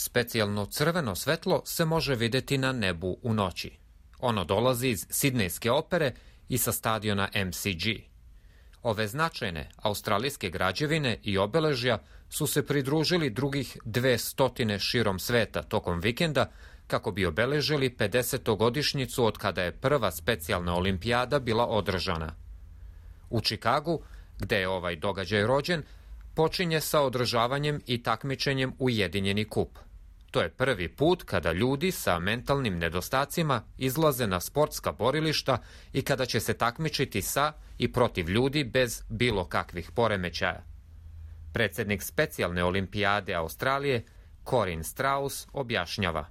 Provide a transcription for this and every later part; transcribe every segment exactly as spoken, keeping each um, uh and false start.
Specijalno crveno svetlo se može vidjeti na nebu u noći. Ono dolazi iz Sidnejske opere i sa stadiona M C G. Ove značajne australijske građevine i obeležja su se pridružili drugih dve stotine širom sveta tokom vikenda kako bi obeležili pedesetogodišnjicu od kada je prva specijalna olimpijada bila održana. U Čikagu, gde je ovaj događaj rođen, počinje sa održavanjem i takmičenjem Ujedinjeni kup. To je prvi put kada ljudi sa mentalnim nedostacima izlaze na sportska borilišta i kada će se takmičiti sa i protiv ljudi bez bilo kakvih poremećaja. Predsjednik specijalne olimpijade Australije, Corinne Strauss, objašnjava.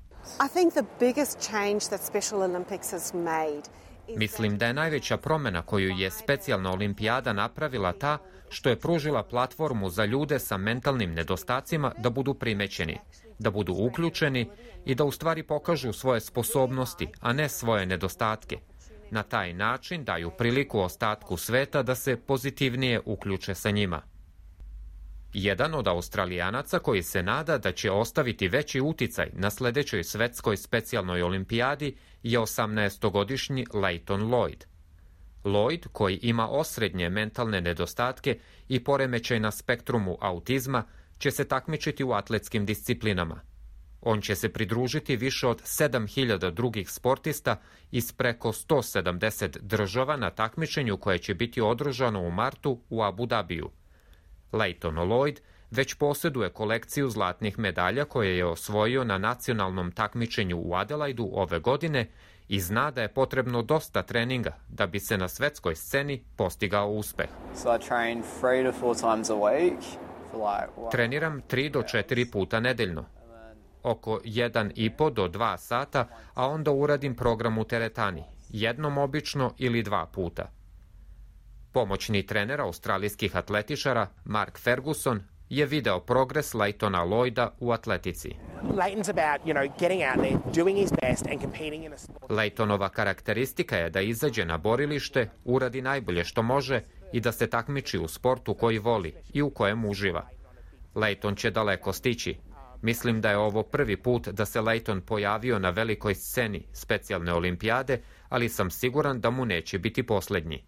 Mislim da je najveća promjena koju je specijalna olimpijada napravila ta što je pružila platformu za ljude sa mentalnim nedostacima da budu primećeni, da budu uključeni i da u stvari pokažu svoje sposobnosti, a ne svoje nedostatke. Na taj način daju priliku ostatku sveta da se pozitivnije uključe sa njima. Jedan od Australijanaca koji se nada da će ostaviti veći uticaj na sljedećoj svetskoj specijalnoj olimpijadi je osamnaestogodišnji Leighton Lloyd. Lloyd, koji ima osrednje mentalne nedostatke i poremećaj na spektrumu autizma, će se takmičiti u atletskim disciplinama. On će se pridružiti više od sedam hiljada drugih sportista iz preko sto sedamdeset država na takmičenju koje će biti održano u martu u Abu Dhabiju. Leighton Lloyd već posjeduje kolekciju zlatnih medalja koje je osvojio na nacionalnom takmičenju u Adelaidu ove godine i zna da je potrebno dosta treninga da bi se na svetskoj sceni postigao uspeh. Treniram tri do četiri puta nedeljno, oko jedan i po do dva sata, a onda uradim program u teretani, jednom obično ili dva puta. Pomoćni trener australijskih atletičara Mark Ferguson je video progres Leightona Lloyda u atletici. Leightonova karakteristika je da izađe na borilište, uradi najbolje što može i da se takmiči u sportu koji voli i u kojem uživa. Leighton će daleko stići. Mislim da je ovo prvi put da se Leighton pojavio na velikoj sceni specijalne olimpijade, ali sam siguran da mu neće biti posljednji.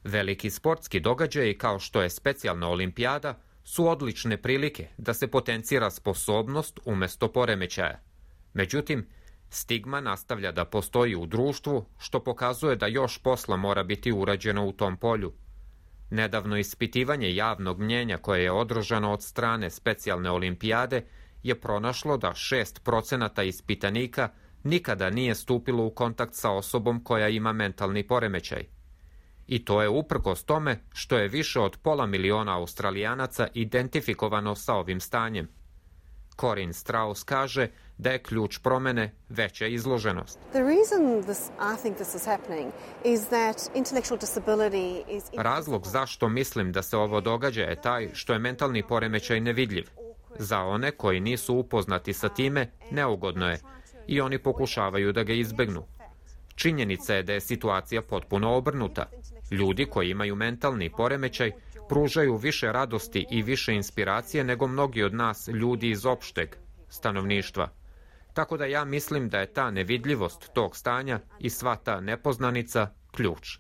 Veliki sportski događaji kao što je specijalna olimpijada su odlične prilike da se potencira sposobnost umjesto poremećaja. Međutim, stigma nastavlja da postoji u društvu, što pokazuje da još posla mora biti urađeno u tom polju. Nedavno ispitivanje javnog mnjenja koje je održano od strane specijalne olimpijade je pronašlo da šest procenata ispitanika nikada nije stupilo u kontakt sa osobom koja ima mentalni poremećaj. I to je uprkos tome što je više od pola miliona Australijanaca identifikovano sa ovim stanjem. Corinne Strauss kaže da je ključ promjene veća izloženost. Razlog zašto mislim da se ovo događa je taj što je mentalni poremećaj nevidljiv. Za one koji nisu upoznati sa time, neugodno je i oni pokušavaju da ga izbegnu. Činjenica je da je situacija potpuno obrnuta. Ljudi koji imaju mentalni poremećaj pružaju više radosti i više inspiracije nego mnogi od nas ljudi iz opšteg stanovništva. Tako da ja mislim da je ta nevidljivost tog stanja i sva ta nepoznanica ključ.